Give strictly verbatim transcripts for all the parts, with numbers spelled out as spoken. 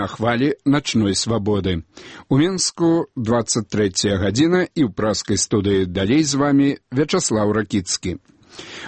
на хвалі начной свабоды. У Менску двадцать третья гадзіна і ў праскай студыі далей з вамі Вячаслаў Ракіцкі.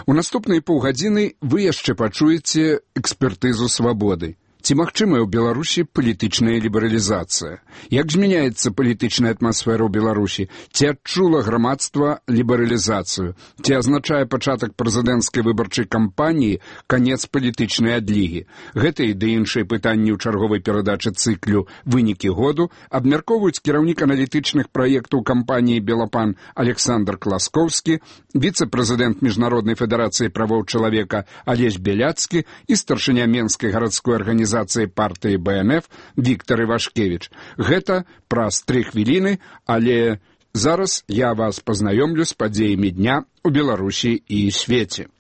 У наступныя паўгадзіны вы яшчэ пачуеце экспертызу свабоды. Ці магчымая ў Беларусі палітычная лібералізацыя? Як змяняецца палітычная атмасфера ў Беларусі? Ці адчула грамадства лібералізацыю? Ці азначае пачатак прэзідэнцкай выбарчай кампаніі канец палітычнай адлігі? Гэтыя ды іншыя пытанні ў чарговай перадачы цыклю «Вынікі году» абмяркоўваюць кіраўнік аналітычных праектаў кампаніі «Белапан» Александр Класкоўскі, віцэ-прэзідэнт Міжнароднай федэрацыі правоў чалавека Алесь Беляцкі і старшыня Менскай гарадской арганізацыі партыі бэ эн эф Віктор Івашкевіч. Гэта праз тры хвіліны, але зараз я вас пазнаёмлю з падзеямі дня ў Беларусі і свеце.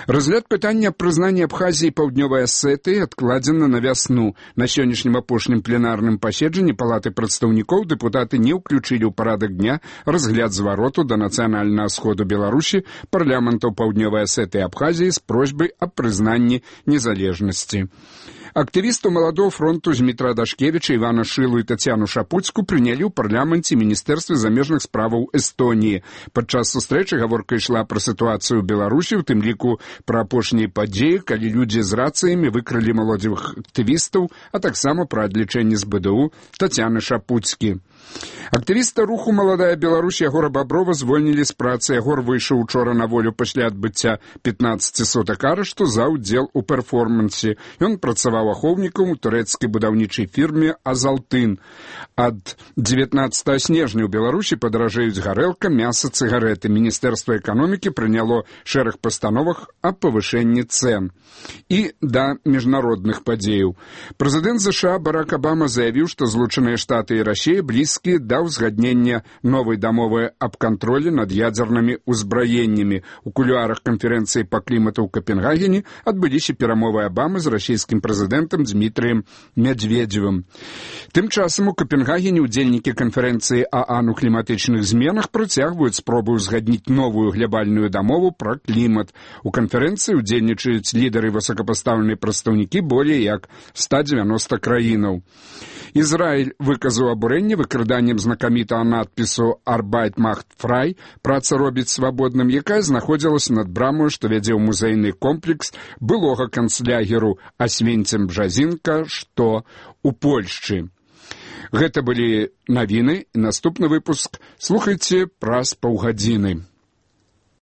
Разгляд пытання прызнання Абхазіі паўднёвай Асетыі адкладзена на вясну. На сённяшнім апошнім пленарным паседжанні Палаты прадстаўнікоў дэпутаты не ўключылі ў парадак дня разгляд звароту да нацыянальнага сходу Беларусі парламентаў паўднёвай Асетыі і Абхазіі з просьбай аб прызнанні незалежнасці. Актывістаў маладого фронту Змітра Дашкевіча, Івана Шылу і Тацяну Шапуцку прынялі ў парламенце Міністэрстве замежных справаў Эстоніі. Падчас сустрэчы гаворка ішла пра сітуацыю ў Беларусі, у тым ліку пра апошнія падзеі, калі людзі з рацыямі выкралі маладзевых актывістаў, а таксама пра адлічэнне з бэ дэ у Тацяны Шапуцкі. Актывіста руху «Маладая Беларусь» Ягора Баброва звольнілі з працы. Ягор выйшаў учора на волю пасля адбыцця пятнаццаці сутак арышту за ўдзел у перформансе. Ён працаваў ахоўнікам у турэцкай будаўнічай фірме «Азалтын». Ад дзевятнаццатага снежня ў Беларусі падаражэюць гарэлка, мяса, цыгарэты. Міністэрства эканомікі прыняло шэраг пастановах аб павышэнні цэн. І да міжнародных падзеяў. Прэзідэнт ЗША Барак Абама заявіў, што Злучаныя Штаты і Расія блізкія да ўзгаднення новай дамовы аб кантролі над ядзернымі ўзбраеннямі. У кулуарах канферэнцыі па клімату ў Капенгагене адбыліся перамовы Абамы з расійскім прэзідэнтам Дмітрыем Медведзевым. Тым часам у Капенгагене удзельнікі канферэнцыі ААН у кліматычных зменах працягваюць спробу ўзгадніць новую глябальную дамову пра клімат. У канферэнцыі удзельнічаюць лідары высокапастаўленыя прадстаўнікі болей як ста дзевяноста краінаў. Ізраіль выказаў абурэнне выкраданнем знакамітага надпісу «Arbeit macht frei» «Праца робіць свабодным», якая знаходзілася над брамою, што вядзе ў музейны комплекс былога канцлягеру Асвенцім-Бжазінка, што ў Польшчы. Гэта былі навіны, і наступны выпуск слухайце праз паўгадзіны.